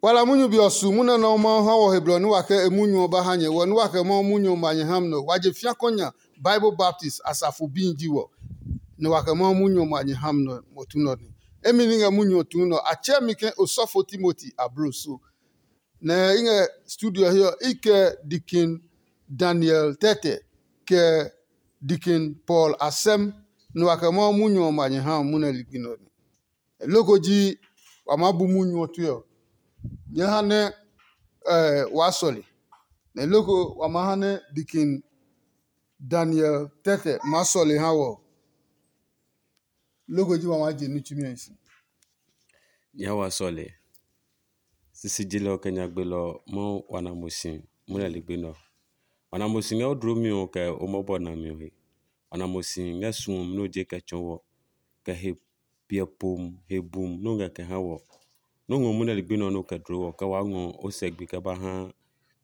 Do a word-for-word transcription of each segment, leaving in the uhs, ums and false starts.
Wala munyu be ɔ su munyu nɛ Mawu ha wɔ he blɔ nɛ wa kɛ e munyu ɔ ba ha nyɛ. Wɔ nɛ wa kɛ Mawu munyu ɔ ma nyɛ ha mi nɛ ɔ, wa je fiakɔ nya Bible Baptist asafo bi ji wɔ, nɛ wa kɛ Mawu munyu ɔ ma nyɛ ha mi nɛ ɔ, mo tu nɔ nɛ. Emi ni ngɛ munyu ɔ tuu nɔ, a tsɛɛ mi ke osɔfo Timoti ablo so. Nɛ i ngɛ studio ɔ he ɔ, i kɛ Deacon Daniel Tɛtɛ, kɛ Deacon Paul Asɛm, nɛ wa kɛ Mawu munyu ɔ ma nyɛ ha munyu nɛ ligbi nɛ ɔ nɛ. Loko ji wa maa bu munyu ɔ tue ɔ, nyɛɛ ha nɛ waa sɔle. Nɛ loko wa maa ha nɛ Deacon Daniel Tɛtɛ maa sɔle ha wɔ ɔ, loko ji wa maa je ní tsumi ɔ si. Nyɛɛ wa sɔle. Sisi jilɔ kɛ nyagbelɔ Mawu wa na mo si munyu nɛ ligbi nɛ ɔ. Wa na mo si ngɛ o dlomi ɔ kɛ o mɔbɔ nami ɔ he. Wa na mo si ngɛ suɔmi nɛ o je kɛ tsɔɔ wɔ, kɛ he piɛ pom he bum nɛ o ngɛ kɛ ha wɔ. Nɔ́ ngɔ munyu nɛ ligbi nɛ ɔ nɛ o kɛ dloo wɔ kɛ waa ngɔ o sɛ gbi kɛ ba ha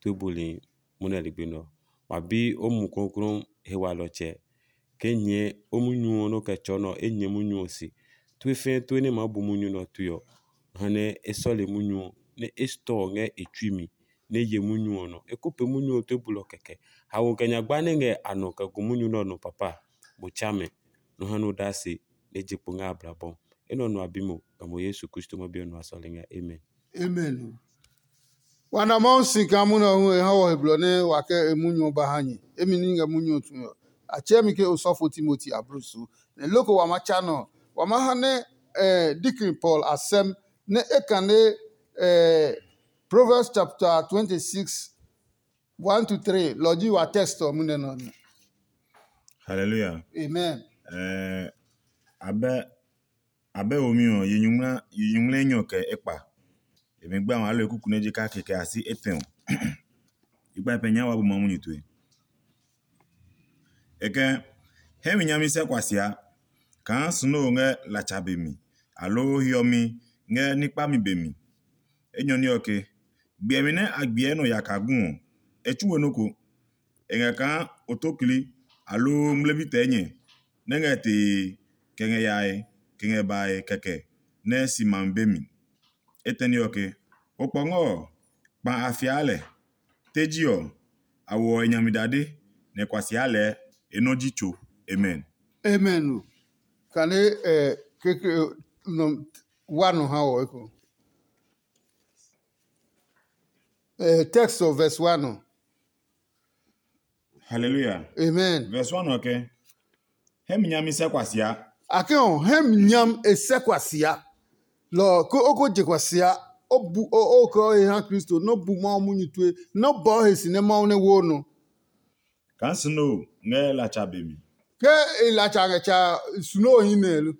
tue buli munyu nɛ ligbi nɛ ɔ. Wa bi o Mumi Klɔuklɔu he walɔtsɛ ke nyɛɛ o munyu ɔ nɛ o kɛ tsɔɔ nɛ ɔ, e nyɛ munyu ɔ se. Tue fɛɛ tue nɛ e maa bu munyu nɛ ɔ tue ɔ, ha nɛ e sɔle munyu ɔ, nɛ e stɔɔ ngɛ e tsui mi, nɛ e ye munyu ɔ nɔ. E ko pee munyu ɔ tue bulɔ kɛkɛ. Haoe kɛ nyagba nɛ ngɛ a nɔ kɛ gu munyu nɛ ɔ nɔ papa, mo tsa mɛ, nɔ ha nɛ o daa se nɛ e je kpo ngɛ a blabɔ. Enɛ ɔ nɔ a bi mo, kɛ mo Yesu Kristo ma bi ɔ nɔ a sɔle ngɛ. Amen. Amen. Wa na Mawu si kaa munyu ɔ hu e ha wɔ he blɔ nɛ wa kɛ e munyu ɔ ba ha nyɛ. Emi ní ngɛ munyu ɔ tue ɔ, a tsɛɛ mi ke osɔfo Timoti ablusu. Nɛ loko wa ma tsa nɔ ɔ, wa ma ha nɛ eh, Deacon Paul Asɛm nɛ e kane eh, Proverbs chapter twenty-six, one to three, lɔ ji wa text ɔ munɛ nɔ nɛ. Hallelujah. Amen. Eh, abɛ abɛ womi ɔ, yi nyuŋmla yi nyuŋmla enyɔ kɛ ekpa. Emi gba ŋɔ alɔ ekuku nɛ je kake kɛ asi etɛ ɔ. Ikpa pɛ nya wa bu ma munyu tue. Ekɛ hɛ mi nyami sɛ kwasia kaa snow ngɛ latsa be mi, aloo hiɔmi ngɛ nikpami be mi. Enyɔ ní ɔ ke, gbiɛmi nɛ a gbiɛ nɔ yaka gu ɔ, e tsu we nɔ́ ko. E ngɛ kaa otokli aloo ngmlɛbi tɛɛ nyɛ nɛ ngɛ tee kɛ ngɛ yae kɛ ngɛ bae kɛkɛ nɛ si ma be mi. Etɛne ɔ ke, okpɔngɔ ɔ, kpa a fiaa lɛ. Teji ɔ, a woɔ e nyami dade, nɛ kwasia lɛɛ e nɔ́ ji tso. Amen. Amen o. Kane eh, kekle nɔ wa nɔ ha wɔ eko. Eh, text of verse one ɔ. Hallelujah. Amen. Verse one ɔ ke, hɛ mi nyami sɛ kwasia. Ake ɔ, hɛ mi nyam e sɛ kwasia. Lɔ ko o ko je kwasia. O bu o o ko he ha Kristo, no bu Mawu munyu tue, no bɔ he si nɛ Mawu nɛ wo no. Kan snow ngɛ latsa be mi. Ke e latsa ngɛ tsa snow hi nɛ lo.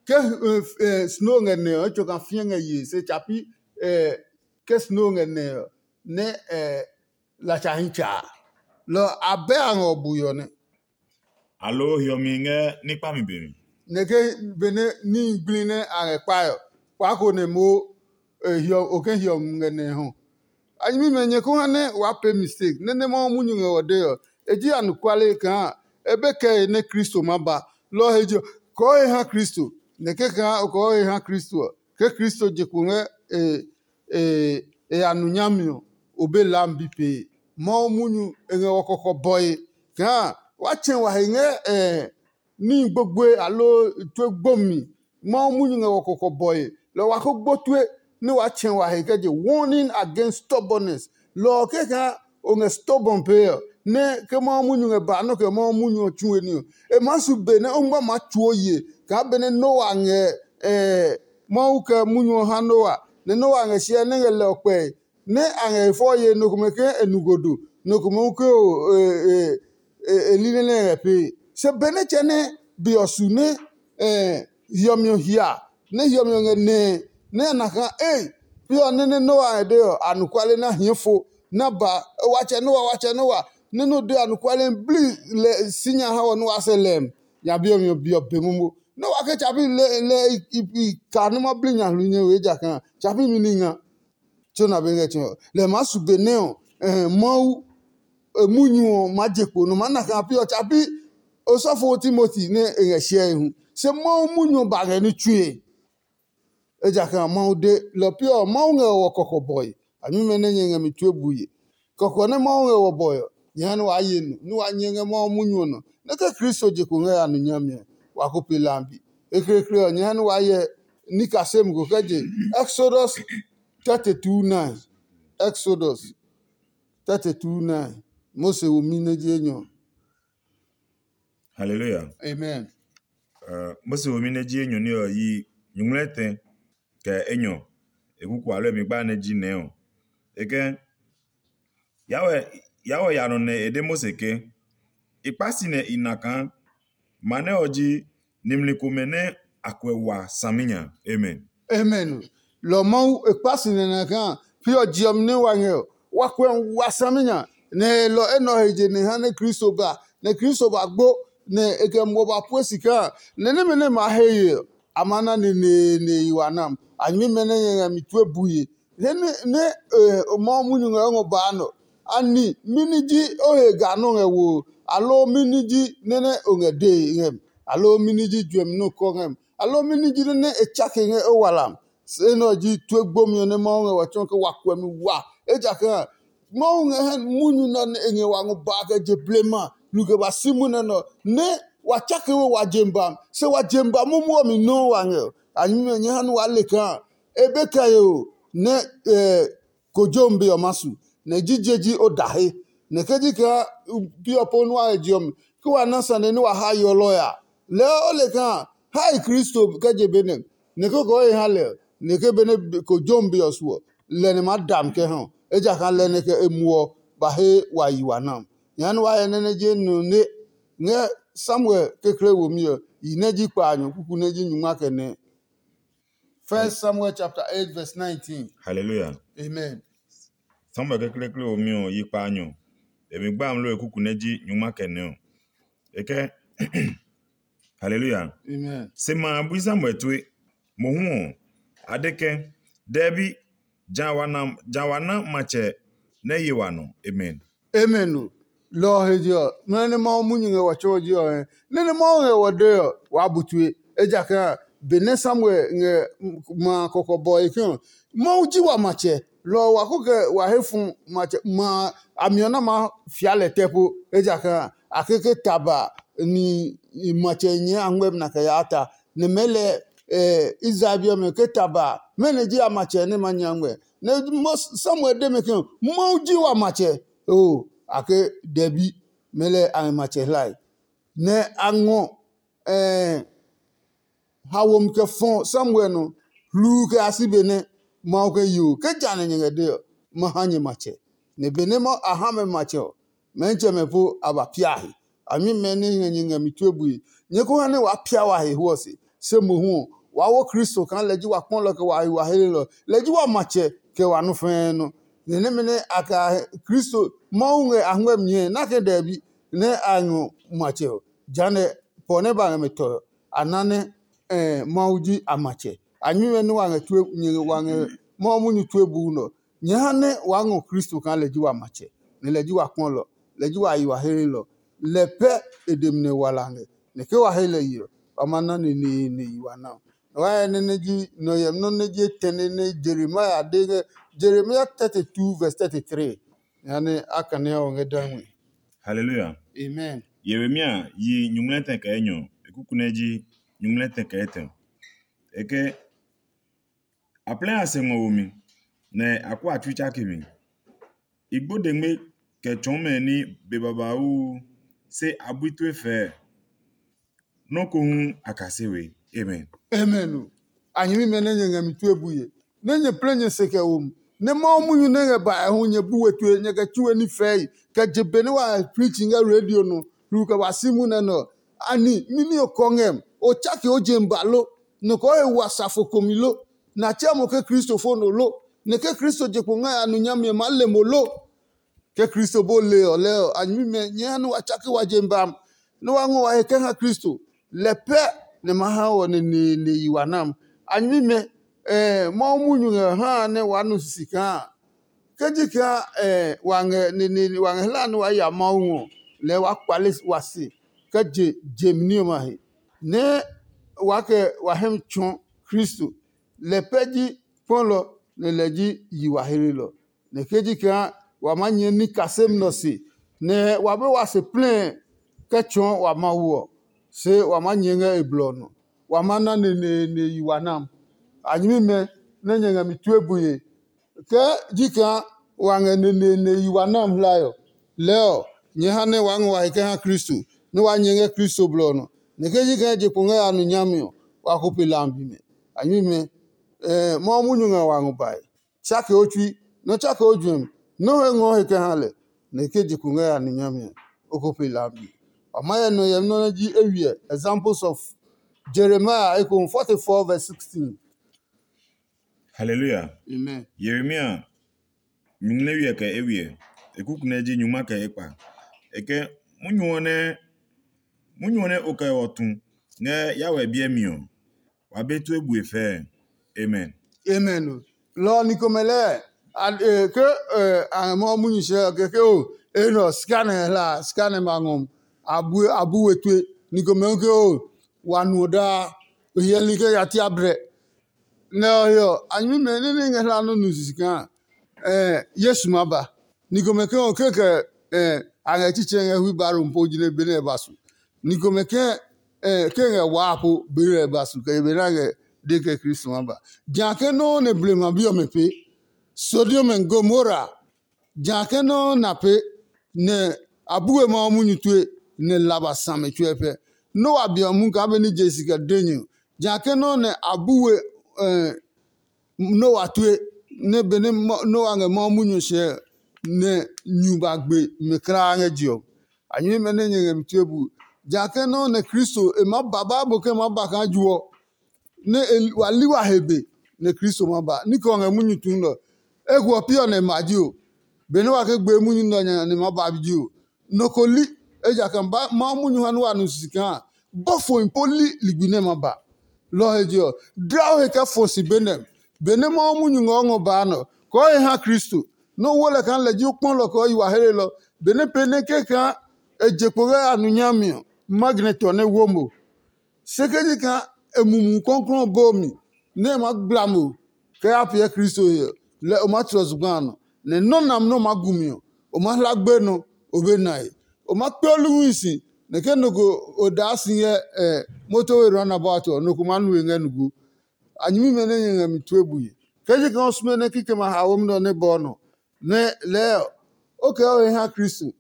Ke eh, eh, snow ngɛ nɛ ɔ, etso kan fiɛ ngɛ ye se tsapi eh, ke snow ngɛ nɛ ɔ, nɛ eh, latsa hi tsa. Lɔ abɛ a ngɔ bu yɔ nɛ. Aloo hiɔmi ngɛ ní kpami be mi. Nɛ ke benɛ ní gblí nɛ a ngɛ kpae ɔ, kpaa ko nɛ mo hiɔ o ke hiɔ ngɛ nɛ hɔ. A nyɛmimɛ nyɛ ko ha nɛ waa pee mistake nɛ nɛ Mawu munyu ngɛ ɔ dee ɔ, e ji anɔkuale kaa e be kɛe nɛ Kristo ma ba. Lɔ ɔ he je ɔ, kɔɔ he ha Kristo, nɛ kɛkaa o kɔɔ he ha Kristo ɔ, ke Kristo je kpo ngɛ e e e ya nu nyami ɔ, o be lam bi pee. Mawu munyu e ngɛ wɔ kɔkɔ bɔe kaa wa tsɛ wa he ngɛ e níhi gbogboe aloo tue gbomi. Mawu munyu ngɛ wɔ kɔkɔ bɔe, lɔ wa ko gbo tue nɛ wa tsɛ wa he kɛ je warning against stubbornness. Lɔ ɔ kɛkaa o ngɛ stubborn pee ɔ, nɛ ke Mawu munyu ngɛ ba nɔ́ kɛ Mawu munyu ɔ tsu we ní ɔ, e maa su be nɛ o ngma maa tsuo ye kaa benɛ Noa ngɛ Mawu kɛ munyu ɔ ha Noa, nɛ Noa ngɛ hyɛ nɛ ngɛ lɛ ɔ kpɛe, nɛ a ngɛ e fɔ ye nɔ komɛ ke e nu godo, nɔ komɛ hu ke o e li nɛ nɛ e ngɛ pee. Se benɛ tsɛ nɛ be ɔ su nɛ hiɔmi ɔ hia, nɛ hiɔmi ɔ ngɛ nɛɛ, nɛ a na kaa ei, pi ɔ nɛ nɛ Noa ngɛ de ɔ, anɔkuale nɛ a hie fo, nɛ a ba watsɛ Noa, watsɛ Noa, nɛ nɔ de anɔkuale bli lɛ si nya ha wɔ nɛ waa sɛ lɛm nya bi ɔ mi ɔ be momo. Nɛ wa ke tsapi lɛ i ka nɛ ma bli nya hlu nyɛ we ejakaa tsapi mi ní nga. Tso na be ngɛ tsi ɔ, lɛ maa su be nɛ ɔ, Mawu munyu ɔ maa je kpo nɔ maa na kaa pi ɔ tsapi osɔfo Timoti nɛ e ngɛ hyɛe hu. Se Mawu munyu ɔ ba ngɛ ní tsue. Ejakaa Mawu de lɔ pi ɔ, Mawu ngɛ wɔ kɔkɔbɔe. A nyume nɛ nyɛ ngɛ mi tue bue. Kɔkɔ nɛ Mawu ngɛ wɔ bɔe ɔ, nyɛ ha nɛ waa ye nu, nɛ waa nyɛ ngɛ Mawu munyu ɔ nɔ. Nɛ ke Kristo je kpo ngɛ ya nu nyami ɔ, wa ko pe lambi. Ekleekle ɔ, nyɛ ha nɛ waa yɛ nikasemi ko kɛ je Exodus thirty-two nine. Exodus thirty-two nine. Mose womi nɛ ji enyɔ. Hallelujah. Amen. Uh, Mose womi nɛ ji enyɔ ní ɔ yi nyuŋmlɛ tɛ kɛ enyɔ e kuku alɔ mi gba nɛ ji nɛ ɔ. E kɛ yawɛ yawɛ ya nɔ nɛ e de Mose ke, i kpa si nɛ i na kaa ma nɛ ɔ ji nimli komɛ nɛ a kuɛ wa saminya. Amen. Amen. Lɔ Mawu e kpa si nɛ na kaa pi ɔ je ɔ mi nɛ wa ngɛ ɔ, wa kuɛ wa saminya. Nɛ e lɔ enɛ ɔ he je nɛ ha nɛ Kristo ba, nɛ Kristo ba gbo, nɛ e kɛ muɔ ba pue si kaa nɛ nɛmɛ nɛ ma he ye ɔ, a ma na neneene yi wa nam. A nyɛmimɛ nɛ nyɛ ngɛ mi tue bue. Nɛ nɛ Mawu munyu ngɛ o ngɔ baa nɔ. Ani mɛni ji o he ga nɔ́ ngɛ wo, aloo mɛni ji nɛ nɛ o ngɛ dee ngɛ mi, aloo mɛni ji juɛmi nɔ́ kɔ ngɛ mi, aloo mɛni ji nɛ nɛ e tsake ngɛ o walam? Se nɛ ɔ ji tue gbomi ɔ nɛ Mawu ngɛ wa tsɔɔ ke wa kuɛ mi wa. Ejakaa Mawu ngɛ hɛ munyu nɛ ɔ nɛ e ngɛ wa ngɔ ba kɛ je blema nu kɛ ba si munɛ nɛ ɔ, nɛ wa tsake we wa jem ba, se wa jem ba momo ɔ mi nɔuu wa ngɛ ɔ. A nyɛmimɛ nyɛ ha nɛ waa le kaa e be kɛ ye o nɛ kojom be ɔ ma su, nɛ jije ji o da he. Nɛ ke ji kaa bi ɔ po nua he je ɔ mi, ke wa na sane nɛ wa ha yɔlɔ ya, lɛɛ o le kaa hae Kristo kɛ je be nɛ, nɛ ke kɔɔ he ha lɛ, nɛ ke benɛ kojom be ɔ su ɔ, lɛ nɛ maa da mi kɛ ha ɔ. Ejakaa lɛ nɛ kɛ e muɔ ba he wa yi wa na. Nyɛɛ nɛ wa hyɛ nɛ nɛ je nɔ ne ngɛ Samuel kekle womi ɔ, yi nɛ ji kpaanyɔ kuku nɛ ji nyungma kɛ nɛ. First Samuel chapter eight verse nineteen. Hallelujah. Amen. Samuel kekleekle womi ɔ yi kpaanyɔ. E mi gba amlɔ e kuku nɛ ji nyungma kɛ nɛ ɔ. E kɛ Hallelujah. Amen. Se ma a bui Samuel tue. Mohu ɔ, a de ke, Dɛbi, ja wa na ja wa na matsɛ nɛ ye wa nɔ. Amen. Amen o. Lɔ ɔ he je ɔ, nɔ́ nɛ Mawu munyu ngɛ wɔ tsɔɔ ji ɔ hɛ. Nɛ nɛ Mawu ngɛ wɔ dee ɔ, waa bu tue. Ejakaa benɛ Samuel ngɛ ma a kɔkɔbɔe ke ɔ, Mawu ji wa matsɛ. Lɔ ɔ wa ko kɛ wa he fu matsɛ ma a mi ɔ na maa fia lɛ tɛ po. Ejakaa a keke taba ni matsɛ nyɛɛ a ngmɛ́ na kɛ yaa ta. Nɛ mɛɛ lɛ Israel bi ɔmɛ ke taba mɛnɔ ji a matsɛ nɛ ma nya ngmɛ? Nɛ Samuel de mɛ ke Mawu ji wa matsɛ. Oo, a ke dɛbi mɛ lɛ a ngɛ matsɛ hlae. Nɛ a ngɔ haomi kɛ fɔ Samuel nɔ hluu kɛ ya si be nɛ Mawu ke yoo ke ja nɛ nyɛ ngɛ de ɔ, ma ha nyɛ matsɛ. Nɛ benɛ a ha mɛ matsɛ ɔ, Mɛnitsɛmɛ po a ba pia he. A nyuimɛ nɛ ngɛ nyɛ ngɛ mi tue bue, nyɛ ko ha nɛ waa pia wa he hwɔ se. Se mohu ɔ, waa wo Kristo kaa lɛ ji wa kpɔlɔ kɛ wa he wa helelɔ, lɛ ji wa matsɛ kɛ wa nɔ́ fɛɛ nɔ́. Nɛ nɛmɛ nɛ a kɛ Kristo Mawu ngɛ a ngmɛ́ mi ɔ, na ke dɛbi nɛ a ngɔ matsɛ ɔ, jehanɛ pɔ nɛ ba ngɛ mɛ tɔ ɔ, a na nɛ Mawu ji a matsɛ. A nyuimɛ nɛ wa ngɛ tue nyɛ wa ngɛ Mawu munyu tue buu nɛ ɔ, nyɛ ha nɛ waa ngɔ Kristo kaa lɛ ji wa matsɛ, nɛ lɛ ji wa kpɔlɔ, lɛ ji wa yi wa helelɔ. Lɛ pɛ e demi nɛ wa la ngɛ, nɛ ke wa he lɛ yi ɔ, wa ma na neneene yi wa na. Wa hyɛ nɛ nɛ ji nɔ hyɛmi nɔ́ nɛ ji etɛne nɛ Jeremia de ngɛ Jeremia thirty-two verse thirty-three. Jehanɛ a kane ɔ ngɛ da ngmi. Hallelujah. Amen. Yeremia yi nyuŋmlɛ tɛ kɛ enyɔ, e kuku nɛ ji nyuŋmlɛ tɛ kɛ etɛ. E ke a plɛ a se ngɔ wo mi, nɛ a kó a tsui tsake mi. I gbo dengme kɛ tsɔɔ mɛ ní be babauu, se a bui tue fɛɛ. Nɔ́ ko hu a kase we. Amen. Amen o. A nyɛmimɛ nɛ nyɛ ngɛ mi tue bue, nɛ nyɛ plɛ nyɛ se kɛ wo mi, nɛ Mawu munyu nɛ ngɛ bae hu nyɛ bu we tue nyɛ kɛ tsu we ní fɛɛe, kɛ je be nɛ wa preach ngɛ radio nɔ, hluu kɛ wa si munɛ nɛ ɔ. Ani mimi o kɔ ngɛ mi? O tsake o je mi ba lo? Nɔ kɛ o he wa safo komi lo? Nɛ a tsɛ mo ke kristofo nɔ lo? Nɛ ke Kristo je kpo ngɛ a nu nyami ɔ maa le mo lo? Ke Kristo bo le ɔ lɛɛ ɔ, a nyɛmimɛ nyɛɛ ha nɛ wa tsake wa je mi ba, nɛ wa ngɔ wa he kɛ ha Kristo. Lɛ pɛ nɛ ma ha wɔ neneene yi wa nam. A nyɛmimɛ, Mawu munyu ngɛ haa nɛ waa nu sisi kaa ke ji kaa wa ngɛ neneene wa ngɛ hlaa nɛ waa ya Mawu ngɔ, lɛɛ waa kpale wa se kɛ je je mi ní ɔmɛ a he, nɛ waa kɛ wa hɛ mi tsɔɔ Kristo. Lɛ pɛ ji kpɔlɔ, nɛ lɛ ji yiheheelɔ. Nɛ ke ji kaa wa maa nyɛɛ ní kaseli nɛ ɔ se, nɛ wa be wa se plɛɛ kɛ tsɔɔ wa Mawu ɔ, se wa maa nyɛɛ ngɛ e blɔ ɔ nɔ. Wa maa na neneene yi wa nam. A nyɛmimɛ nɛ nyɛ ngɛ mi tue bue, ke ji kaa wa ngɛ neneene yi wa nam hlae ɔ, lɛɛ ɔ, nyɛɛ ha nɛ waa ngɔ wa he kɛ ha Kristo, nɛ waa nyɛ ngɛ Kristo blɔ ɔ nɔ. Nɛ ke ji kaa je kpo ngɛ ya nu nyami ɔ, wa ko pe lambi mɛ. A nyɛmimɛ, Mawu munyu ngɛ wa ngɔ bae. Tsake o tsui, nɔ tsake o juɛmi, nɔ he ngɔ he kɛ ha lɛ, nɛ ke je kpo ngɛ ya nu nyami ɔ, o ko pe lambi. Wa ma hyɛ nɔ hyɛmi nɔ́ nɛ ji eywiɛ, examples of Jeremiah ekohu forty-four verse sixteen. Hallelujah. Amen. Yeremia nyumu nɛ wiɛ kɛ eywiɛ, e kuku nɛ ji nyuma kɛ ekpa. E ke, munyu ɔ nɛ munyu ɔ nɛ o kɛ ɔ tu ngɛ yawɛ biɛ mi ɔ, wa be tue bue fɛɛ. Amen. Amen o. Lɔ ɔ ni komɛ lɛɛ, ke a ngɛ Mawu munyu sɛɛ ɔ, kɛkɛ o, e nɔ sika nɛ hla, sika nɛ ma ngɔ, a bu we tue. Ni komɛ hu ke o, wa nuɔ daa, o hyɛli ke ya tia brɛ. Nɛ ɔ he ɔ, a nyɛmimɛ nɛ nɛ ngɛ hla nɔ́ nu sisi kaa Yesu ma ba. Ni komɛ ke ɔ, kekɛ a ngɛ tsitsɛ ngɛ hui baro po jinɛ benɛ e ba su. Ni komɛ ke ke ngɛ waa po benɛ e ba su, kɛ benɛ a ngɛ de kɛ Kristo ma ba. Jã ke nɔuu nɛ blema bi ɔmɛ pee, Sodom and Gomora, jã ke nɔuu na pee, nɛ a bu we Mawu munyu tue, nɛ la ba sa mɛ tsuɛ pɛ. Noa bi ɔ mu kaa benɛ je si kɛ de nyɛ ɔ, jã ke nɔuu nɛ a bu we Noa tue, nɛ benɛ Noa ngɛ Mawu munyu sɛɛ, nɛ nyu ba gbe mɛ kulaa ngɛ je ɔ. A nyɛmimɛ nɛ nyɛ ngɛ mi tue bu. Jã ke nɔuu nɛ Kristo e maa ba Bible ke e maa ba kaa ju ɔ, nɛ wa li wa he be, nɛ Kristo ma ba. Ní kɛ ɔ ngɛ munyu tuu nɛ ɔ. Eko ɔ pi ɔ nɛ ma ji o. Benɛ wa ke gbee munyu nɛ ɔ nya nɛ ma ba ji o. Nɔ ko li, ejakaa Mawu munyu ha nɛ wa nu sisi kaa bɔfohi po li ligbi nɛ ma ba. Lɔ ɔ he je ɔ, dla o he kɛ fɔ si be nɛ. Benɛ Mawu munyu ngɛ o ngɔ baa nɛ ɔ, kɔɔ he ha Kristo, nɛ o wo lɛ kaa lɛ ji o kpɔlɔ kɛ o yi wa helelɔ. Benɛ pee nɛ kɛkaa e je kpo ngɛ a nu nyami ɔ, ma gɛnɛ tɔ nɛ wo mo. Se ke ji kaa e Mumi Klɔuklɔu ɔ boo mi, nɛ e maa gbla mo kɛ ya piɛ Kristo he ɔ, lɛ o maa tlɔ zugba a nɔ, nɛ nɔ́ nami nɛ o maa gu mi ɔ, o maa hla gbenɔ, o be nae. O maa kpe o luhui si, nɛ ke nɔ ko o daa si ngɛ moto we runabout ɔ, nɔ ko maa nu we ngɛ nugu. A nyɛmimɛ nɛ nyɛ ngɛ mi tue bue. Ke ji kaa o sume nɛ kikɛmɛ a haomi nɛ ɔ nɛ bɔ nɔ, nɛ lɛɛ ɔ, o kɛ o he ha Kristo,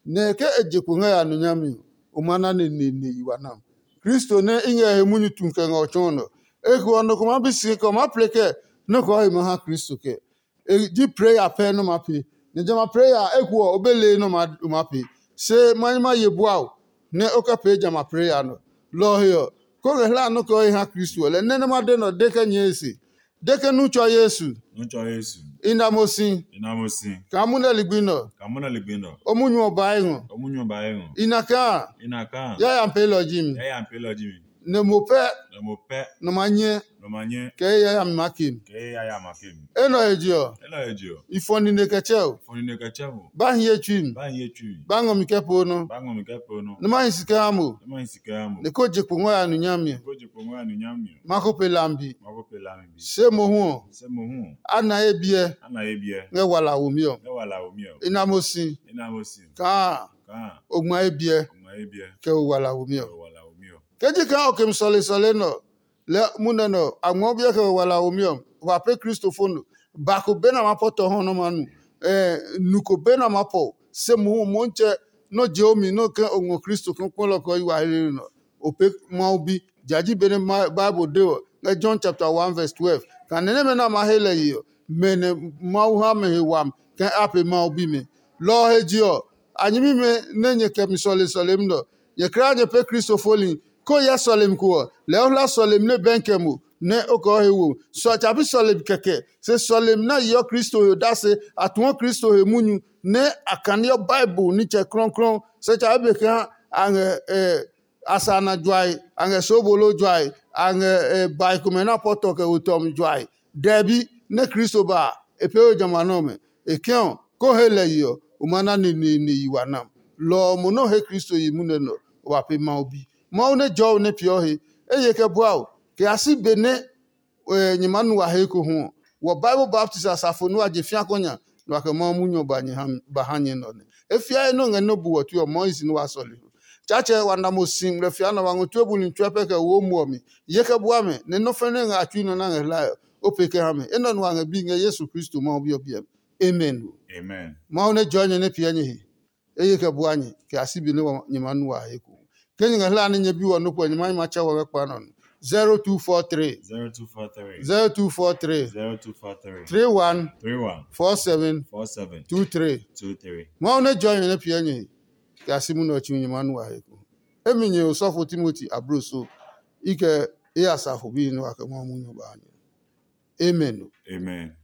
nɛ ke e je kpo ngɛ ya nu nyami ɔ, o ma na neneene yi wa nam. Kristo nɛ i ngɛ he munyu tu kɛ ngɛ o tsɔɔ nɔ. Eko ɔ, nɔ ko maa bi si kɛ o maa ple kɛɛ nɔ́ ko ɔ he ma ha Kristo kɛɛ. E ji preya pɛ nɛ o maa pee. Nɛ jamɛ a preya eko ɔ, o be lee nɛ o maa pee. Se ma nyi ma ye bua o, nɛ o kɛ pee jamɛ a preya nɛ ɔ. Lɔ ɔ he ɔ, kó ngɛ hlaa nɔ́ kɛ o he ha Kristo ɔ, lɛ nɛ nɛ ma de nɛ ɔ de kɛ nyɛɛ e se. De ke nu tsɔ Yesu. Nu tsɔ Yesu. I na mo si. I na mo si. Kaa munɛ ligbi nɛ ɔ. Kaa munɛ ligbi nɛ ɔ. O munyu ɔ ba e ngɔ. O munyu ɔ ba e ngɔ. I na kaa. I na kaa. Yayami peelɔ ji mi. Yayami peelɔ ji mi. Nɛ mo pɛ. Nɛ mo pɛ. Nɔ ma nyɛ. Nɔ ma nyɛ. Kɛ ye yayami ma ke mi. Kɛ ye yayami ma ke mi. Enɛ ɔ he je ɔ. Enɛ ɔ he je ɔ. I fɔ nine kɛ tsɛ o. Fɔ nine kɛ tsɛ o. Ba hi ye tsui mi. Ba hi ye tsui mi. Ba ngɔ mi kɛ poo nɔ. Ba ngɔ mi kɛ poo nɔ. Nɛ ma hi si kɛ ha mo. Nɛ ma hi si kɛ ha mo. Nɛ ko je kpo ngɔ ya nu nyami ɔ. Ko je kpo ngɔ ya nu nyami ɔ. Ma ko pe lambi. Ma ko pe lambi. Se mohu ɔ. Se mohu ɔ. A na ye biɛ. A na ye biɛ. Ngɛ wala womi ɔ. Ngɛ wala womi ɔ. I na mo si. I na mo si. Kaa. Kaa. O ngma ye biɛ. O ngma ye biɛ. Kɛ o wala womi ɔ. Kɛ o wala womi ɔ. Ke ji kaa o kemi sɔle sɔle nɛ ɔ, lɛ munɛ nɛ ɔ, a ngmɔ biɛ kɛ o wala womi ɔ, wa pɛ Kristo fo no. Ba ko be nɛ a ma pɔ tɔ hɔ nɛ ma nu. Nu ko be nɛ a ma pɔ se mohu Motsɛ nɔ je o mi nɛ ke o ngɔ Kristo kpɔlɔ kɛ o yi wa helenɔ. O pe Mawu bi. Ja ji benɛ Bible de ɔ ngɛ John chapter one verse twelve. Kanɛ nɛmɛ nɛ a ma he lɛ ye ɔ, mɛ nɛ Mawu ha mɛ he wami kɛ a pe Mawu bimɛ. Lɔ ɔ he je ɔ, a nyɛmimɛ nɛ nyɛ kɛ mi sɔle sɔlemi nɛ ɔ, nyɛ kulaa nyɛ pɛ Kristo foli. Ke o hyɛ sɔlemi ko ɔ, lɛɛ o hla sɔlemi nɛ bɛnkɛ mo nɛ o kɛ o he wo. Sɔ tsa pi sɔlemi kɛkɛ, se sɔlemi nɛ a yeɔ Kristo he odase, a tuɔ Kristo he munyu, nɛ a kaneɔ Bible nitsɛ klɔuklɔu. Se tsa be kaa a ngɛ a sa na juae, a ngɛ soobolo juae, a ngɛ bae komɛ nɛ a pɔ tɔ kɛ wo tɔmi juae. Dɛbi nɛ Kristo ba a, e pee we jamɛ a nɔmɛ. E kɛ ɔ, ko he lɛ yi ɔ, o ma na neneene yi wa nam. Lɔ ɔ mo nɛ o he Kristo yi munɛ nɛ ɔ, o ba pe Mawu bi. Mawu nɛ jɔɔ o nɛ peeɔ he, eye kɛ bua o, kɛ ya si be nɛ nyɛ maa nu wa he ko hu ɔ, wɔ Bible baptist asafo nɛ wa je fia kɔ nya, nɛ wa kɛ Mawu munyu ɔ ba nyɛ ha mi- ba ha nyɛ nɔ nɛ. E fiae nɛ o ngɛ nɛ o bu wɔ tue ɔ, Mɔisi nɛ wa sɔle ho. Tsatsɛ wa na mo si ngmlɛ fia nɛ wa ngɔ tue buli tsuɛ pɛ kɛ wo muɔ mi. Ye kɛ bua mɛ, nɛ nɔ́ fɛnɛ ngɛ a tsui nɔ nɛ a ngɛ hlae ɔ, o pee kɛ ha mɛ. Enɛ ɔ nua ngɛ bi ngɛ Yesu Kristo Mawu Bi ɔ biɛ mi. Amen. Amen. Mawu nɛ jɔɔ nyɛ nɛ piɛ nyɛ he. Eye kɛ bua nyɛ kɛ a si be nɛ wa- nyɛ ma nu wa he ko. Ke nyɛ ngɛ hlae nɛ nyɛ bi wɔ nɔ́ puɛ nyɛ ma nyɛ ma tsɛ wɔ ngɛ kpa nɔ no. zero two four three zero two four three zero two four three zero two four three three one three one four seven four seven two three. Two three. Mawu nɛ jɔɔ nyɛ nɛ piɛ nyɛ he. Kɛ a si munɛ ɔ tsi nyɛ ma nu wa he ko. Emi nyɛ osɔfo Timoti ablo so. I kɛ e asafo bi nɛ wa kɛ Mawu munyu ba nyɛ. Amen. Amen.